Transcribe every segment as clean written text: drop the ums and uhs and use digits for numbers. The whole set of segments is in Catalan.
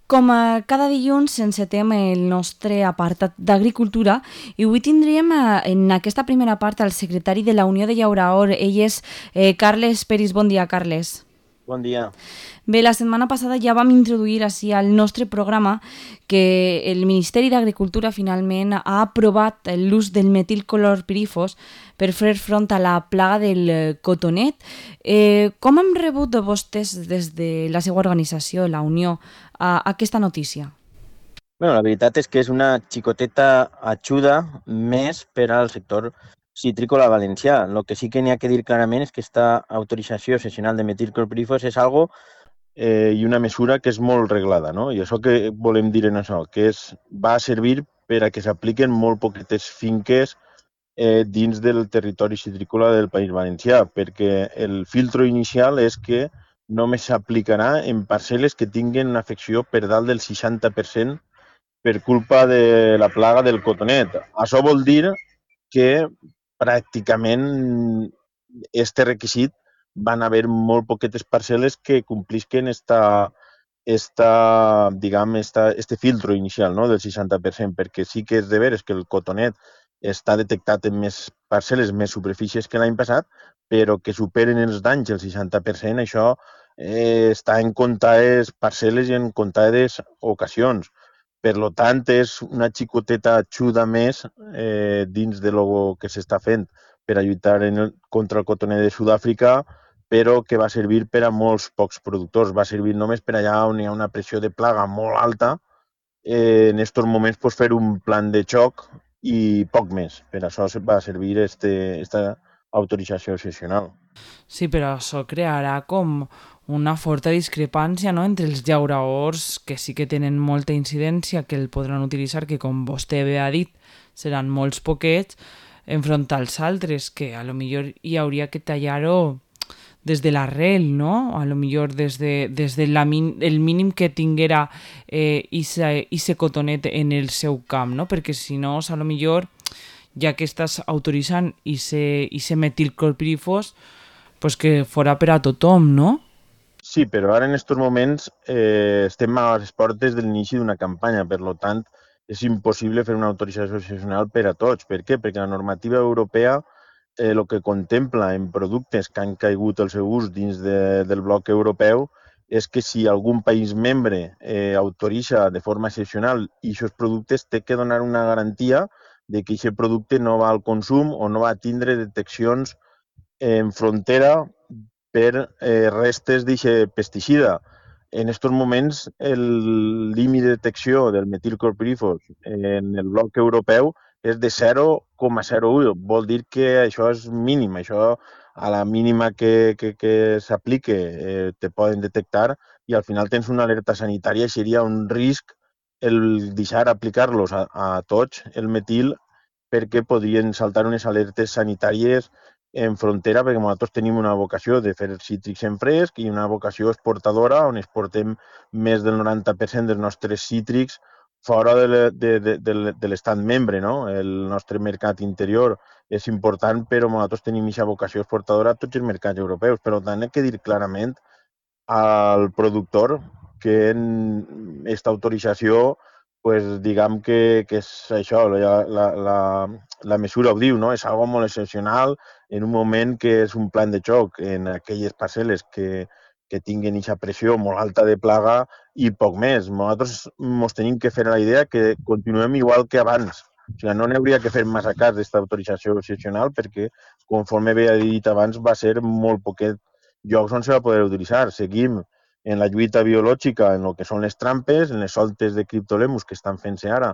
Com cada dilluns encetem el nostre apartat d'Agricultura i avui tindríem en aquesta primera part el secretari de la Unió de Llauraor. Ell és Carles Peris. Bon dia, Carles. Bon dia. Bé, la setmana passada ja vam introduir així al nostre programa que el Ministeri d'Agricultura finalment ha aprovat l'ús del metilclorpirifos per fer front a la plaga del cotonet. Com hem rebut de vostès des de la seva organització, la Unió, aquesta notícia? La veritat és que és una xicoteta ajuda més per al sector citrícola valencià. El que sí que n'hi ha que dir clarament és que aquesta autorització sessional de metilclorpirifos és algo i una mesura que és molt reglada, no? I això que volem dir en això, que va servir per a que s'apliquen molt poquetes finques dins del territori citrícola del País Valencià, perquè el filtro inicial és que només s'aplicarà en parcel·les que tinguin una afecció per dalt del 60% per culpa de la plaga del cotonet. Això vol dir que pràcticament este requisit van haver molt poquetes parcel·les que complisquen este filtro inicial, no, del 60%, perquè sí que és de veres que el cotonet està detectat en més parcel·les, més superfícies que l'any passat, però que superen els danys el 60%, això està en comptades parcel·les i en comptades ocasions. Per lo tant, és una xicoteta ajuda més dins de lo que s'està fent per a lluitar contra el cotoner de Sud-àfrica, però que va servir per a molts pocs productors. Va servir només per allà on hi ha una pressió de plaga molt alta, en aquests moments pues, fer un plan de xoc i poc més. Per això va servir esta autorització excepcional. Sí, però això crearà com una forta discrepància, no?, entre els llauraors que sí que tenen molta incidència, que el podran utilitzar, que com vostè bé ha dit, seran molts poquets, enfront als altres, que a lo millor hi hauria que tallar-ho des de l'arrel, no? A lo millor des de el mínim que tinguera ise cotonet en el seu camp, no? Perquè si no, a lo millor, ja que estàs autoritzant ise metilclorpirifos, pues que fora per a tothom, no? Sí, però ara en aquests moments estem a les portes de l'inici d'una campanya, per lo tant és impossible fer una autorització excepcional per a tots. Per què? Perquè la normativa europea el que contempla en productes que han caigut el seu ús dins del bloc europeu és que si algun país membre autoritza de forma excepcional i aquests productes té que donar una garantia de que aquest producte no va al consum o no va tindre deteccions en frontera per restes d'aquest pesticida. En aquests moments, el límit de detecció del metilclorpirifos en el bloc europeu és de 0,01. Vol dir que això és mínim. Això, a la mínima que s'aplique, te poden detectar i al final tens una alerta sanitària i seria un risc el deixar aplicar-los a tots el metil perquè podrien saltar unes alertes sanitàries en frontera, perquè nosaltres tenim una vocació de fer cítrics en fresc i una vocació exportadora on exportem més del 90% dels nostres cítrics fora de l'estat membre. No? El nostre mercat interior és important, però nosaltres tenim aquesta vocació exportadora a tots els mercats europeus. Per tant, hem de dir clarament al productor que en aquesta autorització pues, diguem que és això, la mesura ho diu, no? És algo molt excepcional en un moment que és un plan de xoc en aquelles parcel·les que tinguin aquesta pressió molt alta de plaga i poc més. Nosaltres ens tenim que fer la idea que continuem igual que abans. O sigui, no n'hauria que fer massa cas d'aquesta autorització excepcional perquè, conforme havia dit abans, va ser molt poquet llocs on se va poder utilitzar. Seguim en la lluita biològica, en el que són les trampes, en les soltes de criptolemus que estan fent-se ara,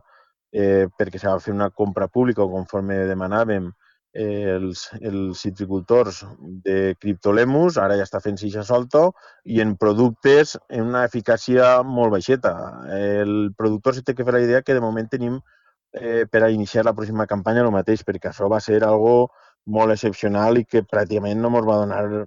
perquè s'ha de fer una compra pública o conforme demanàvem els citricultors de criptolemus, ara ja està fent-se aquesta solta, i en productes en una eficàcia molt baixeta. El productor se té que fer la idea que de moment tenim per a iniciar la pròxima campanya el mateix, perquè això va ser algo molt excepcional i que pràcticament no ens va donar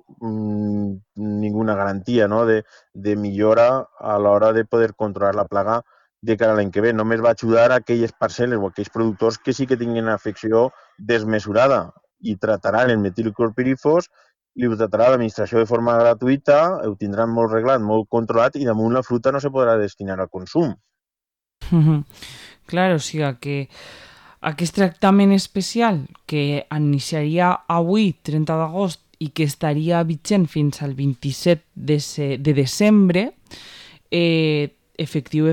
ninguna garantia, no? de millora a l'hora de poder controlar la plaga de cara a l'any que ve. Només va ajudar a aquelles parcel·les o aquells productors que sí que tinguin afecció desmesurada i trataran el metilclorpirifos li ho tratarà l'administració de forma gratuïta, ho tindran molt reglat, molt controlat, i damunt la fruita no se podrà destinar al consum. Clar, o sigui que aquest tractament especial que iniciaria avui, 30 d'agost, i que estaria vigent fins al 27 de desembre, efectiu,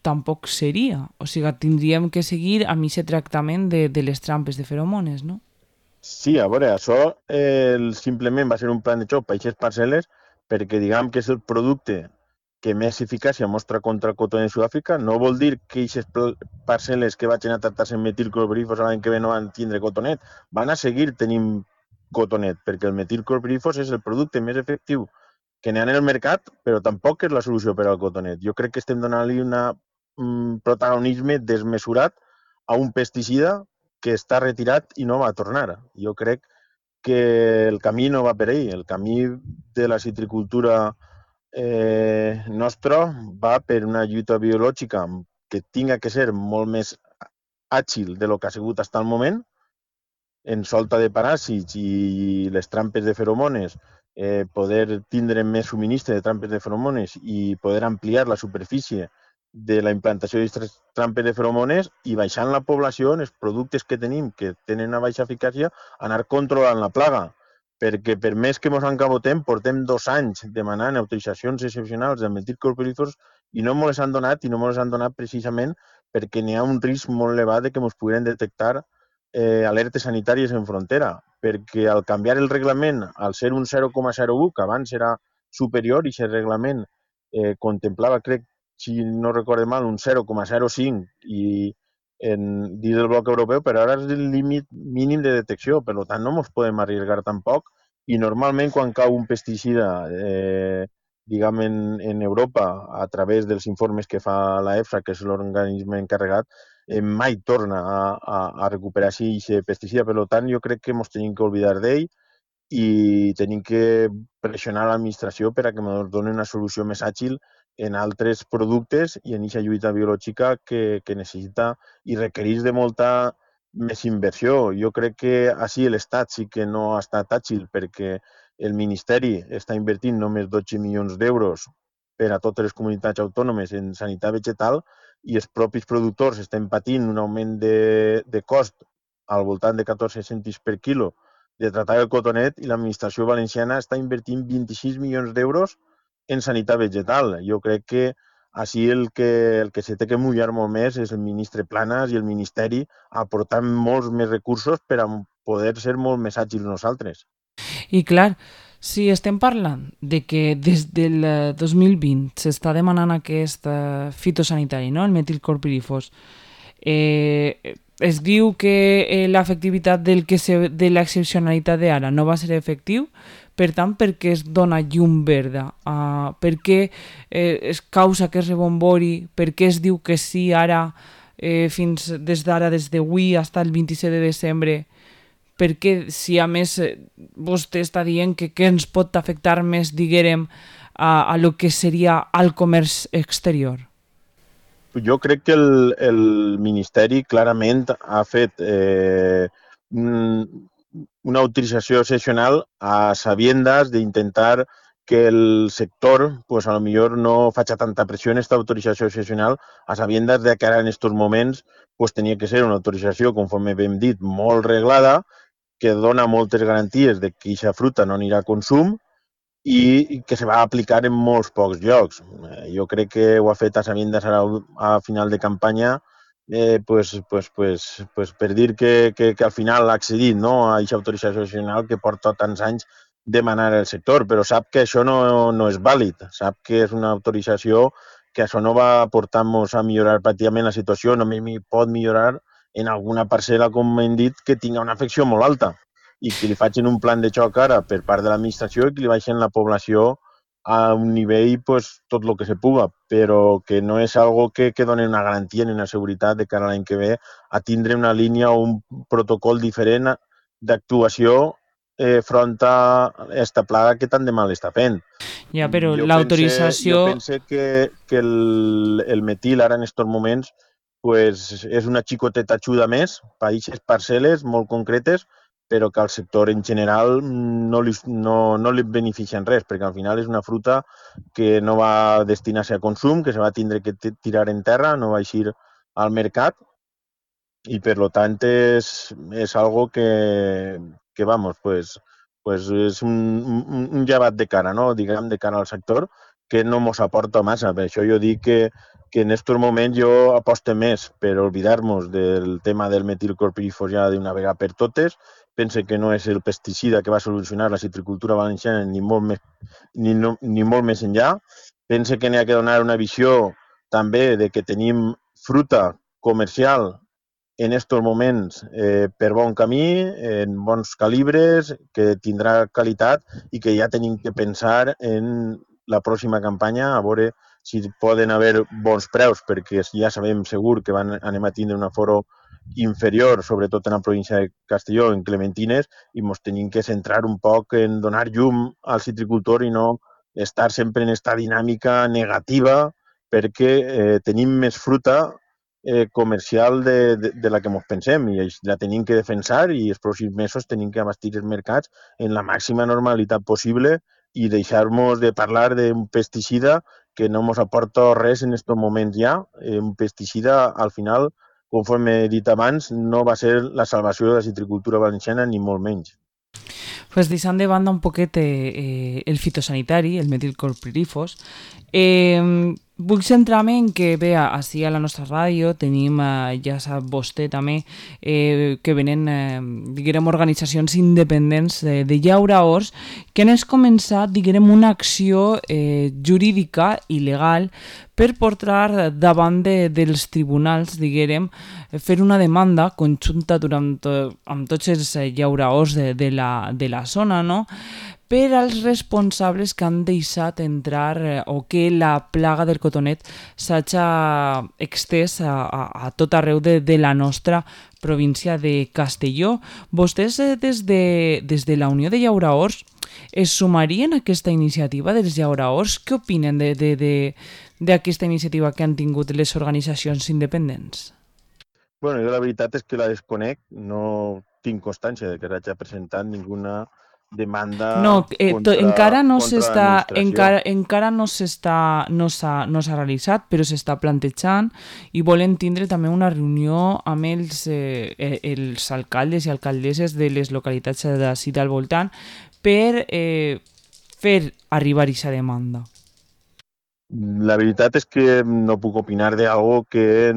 tampoc seria. O sigui, tindríem que seguir amb aquest tractament de les trampes de feromones, no? Sí, a veure, això simplement va ser un plan de xoc per aquestes parcel·les perquè diguem que és el producte que més eficàcia mostra contra el cotonet de Sud-àfrica. No vol dir que aquestes parcel·les que vagin a tractar-se amb metilclorpirifos l'any que ve no van tindre cotonet. Van a seguir tenint cotonet, perquè el metilclorpirifos és el producte més efectiu que n'hi ha en el mercat, però tampoc és la solució per al cotonet. Jo crec que estem donant-li un protagonisme desmesurat a un pesticida que està retirat i no va a tornar. Jo crec que el camí no va per ahí. El camí de la citricultura nostra va per una lluita biològica que tinga que ser molt més àgil de lo que ha sigut fins al moment, en solta de paràsits i les trampes de feromones, poder tindre més subministre de trampes de feromones i poder ampliar la superfície de la implantació d'aquestes trampes de feromones i baixant la població en els productes que tenim, que tenen una baixa eficàcia, anar controlant la plaga. Perquè per més que ens encabotem, portem 2 anys demanant autoritzacions excepcionals de metilclorpirifos i no ens han donat, i no ens han donat precisament perquè n'hi ha un risc molt elevat de que ens puguen detectar alertes sanitàries en frontera, perquè al canviar el reglament, al ser un 0,01, que abans era superior, i aquest reglament contemplava, crec, si no recorde mal, un 0,05 i dins del bloc europeu, però ara és el límit mínim de detecció, per tant no ens podem arriesgar tampoc, i normalment quan cau un pesticida diguem en Europa a través dels informes que fa la EFSA, que és l'organisme encarregat, mai torna a recuperar així aquest pesticida. Per tant, jo crec que ens tenim que oblidar d'ell i tenim que pressionar l'administració per a que ens doni una solució més àgil en altres productes i en aquesta lluita biològica que necessita i requereix de molta més inversió. Jo crec que així l'Estat sí que no ha estat àgil perquè el Ministeri està invertint només 12 milions d'euros per a totes les comunitats autònomes en sanitat vegetal i els propis productors estan patint un augment de cost al voltant de 14 cèntims per quilo de tratar el cotonet i l'administració valenciana està invertint 26 milions d'euros en sanitat vegetal. Jo crec que així el que se té que mullar molt més és el ministre Planas i el Ministeri aportant molts més recursos per a poder ser molt més àgils nosaltres. I clar, si estem parlant de que des del 2020 s'està demanant aquest fitosanitari, no? El metilclorpirifos, es diu que l'efectivitat de l'excepcionalitat d'ara no va ser efectiu, per tant, per què es dona llum verda? Per què es causa aquest rebombori? Per què es diu que sí ara, des d'avui fins al 27 de desembre? Perquè si a més vostè està dient que ens pot afectar més, diguem, a lo que seria el comerç exterior? Jo crec que el Ministeri clarament ha fet una autorització excepcional a sabiendas d'intentar que el sector, pues a lo millor no faci tanta pressió en esta autorització excepcional, a sabiendas de que ara en estos moments pues tenia que ser una autorització, conforme hem dit, molt reglada, que dona moltes garanties de que aquesta fruta no anirà a consum i que se va aplicar en molts pocs llocs. Jo crec que ho ha fet a sabiendas a final de campanya per dir que al final ha accedit, no, a aquesta autorització nacional que porta tants anys demanar el sector, però sap que això no és vàlid, sap que és una autorització que això no va portar-nos a millorar pràcticament la situació, només pot millorar en alguna parcel·la, com hem dit, que tinga una afecció molt alta i que li facin un plan de xoc ara per part de l'administració i que li baixen la població a un nivell pues, tot el que se puga, però que no és algo que doni una garantia ni una seguretat de cara a l'any que ve a tindre una línia o un protocol diferent d'actuació front a aquesta plaga que tant de mal està fent. Ja, però l'autorització... Jo pense que el metil ara en aquests moments pues, és una xicoteta ajuda més per a aquestes parcel·les molt concretes però que al sector en general no li beneficien res, perquè al final és una fruta que no va destinar-se a consum, que se va tindre que tirar en terra, no va eixir al mercat, y por lo tanto es algo que vamos, pues és un llevat de cara, no? Diguem, de cara al sector, que no mos aporta massa. Per això jo dic que en aquests moments jo aposto més per oblidar-nos del tema del metilclorpirifos ja d'una vegada per totes. Pense que no és el pesticida que va solucionar la citricultura valenciana ni molt més, ni molt més enllà. Pense que n'hi ha que donar una visió també de que tenim fruta comercial en estos moments per bon camí, en bons calibres, que tindrà qualitat i que ja tenim que pensar en la pròxima campanya a veure si poden haver bons preus, perquè ja sabem segur que anem a tindre un aforo inferior, sobretot en la província de Castelló, en clementines, i ens tenim que centrar un poc en donar llum al citricultor i no estar sempre en aquesta dinàmica negativa, perquè tenim més fruta comercial de la que ens pensem i la tenim que defensar i els pròxims mesos tenim que abastir els mercats en la màxima normalitat possible i deixar-nos de parlar d'un pesticida que no ens aporta res en aquests moments ja. Un pesticida, al final, conforme he dit abans, no va ser la salvació de la citricultura valenciana ni molt menys. Pues deixant de banda un poquet el fitosanitari, el metilclorpirifos, vull centrar-me en que, bé, així a la nostra ràdio tenim, ja sap vostè també, que venen, diguem, organitzacions independents de llauraors que han començat, diguem, una acció jurídica i legal per portar davant dels tribunals, diguem, fer una demanda conjunta amb tots els llauraors de la zona, no?, per als responsables que han deixat entrar o que la plaga del cotonet s'hagi extès a tot arreu de la nostra província de Castelló. Vostès des de la Unió de Llauraors es sumarien a aquesta iniciativa dels llauraors? Què opinen d'aquesta iniciativa que han tingut les organitzacions independents? Bueno, jo la veritat és que la desconec, no tinc constància de que s'hagi presentat ninguna demanda No, encara no contra s'està, l'administració. encara no s'ha realitzat, però s'està plantejant i volen tindre també una reunió amb els alcaldes i alcaldesses de les localitats d'ací al voltant per fer arribar aquesta demanda. La veritat és que no puc opinar d'algo que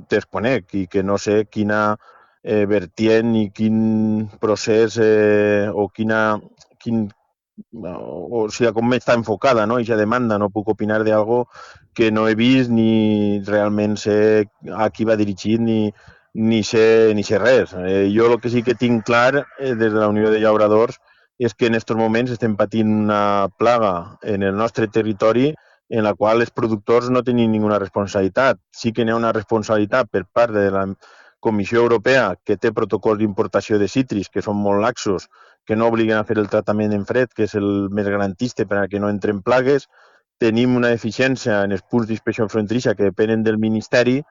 desconec i que no sé quina vertient i quin procés o o sigui, com està enfocada, no? Aquesta demanda. No puc opinar d'algo que no he vist ni realment sé a qui va dirigit ni sé res. Jo el que sí que tinc clar des de la Unió de Llauradors és que en aquests moments estem patint una plaga en el nostre territori en la qual els productors no tenen ninguna responsabilitat. Sí que n'hi ha una responsabilitat per part de la Comissió Europea, que té protocols d'importació de cítrics que són molt laxos, que no obliguen a fer el tractament en fred, que és el més garantista per a que no entren plagues. Tenim una deficiència en els punts d'inspecció fronterissa que depenen del Ministeri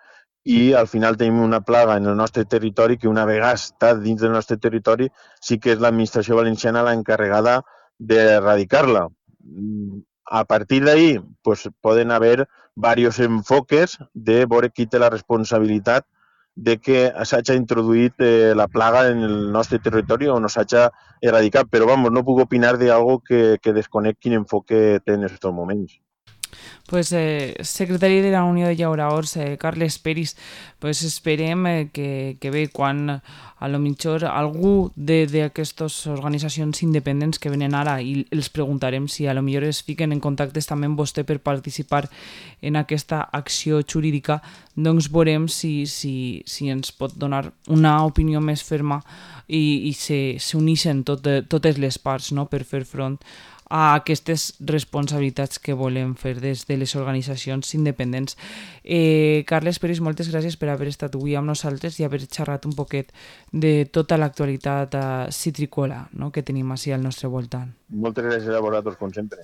i al final tenim una plaga en el nostre territori que una vegada està dins del nostre territori sí que és l'administració valenciana l'encarregada d'erradicar-la. A partir d'ahí pues, poden haver diversos enfoques de veure qui té la responsabilitat de que s'hagi introduït la plaga en el nostre territori o no s'hagi erradicat, però vamos, no puc opinar d'algo que desconec quin enfoque té en aquests moments. Pues, secretari de la Unió de Llauraors, Carles Peris, pues esperem que bé, quan a lo millor algú d'aquestes organitzacions independents que venen ara i els preguntarem si a lo millor es fiquen en contactes també amb vostè per participar en aquesta acció jurídica, doncs veurem si ens pot donar una opinió més ferma i s'uneixen totes les parts, no?, per fer front a aquestes responsabilitats que volem fer des de les organitzacions independents. Carles Peris, moltes gràcies per haver estat avui amb nosaltres i haver xerrat un poquet de tota l'actualitat citricola, no?, que tenim així al nostre voltant. Moltes gràcies a vosaltres, com sempre.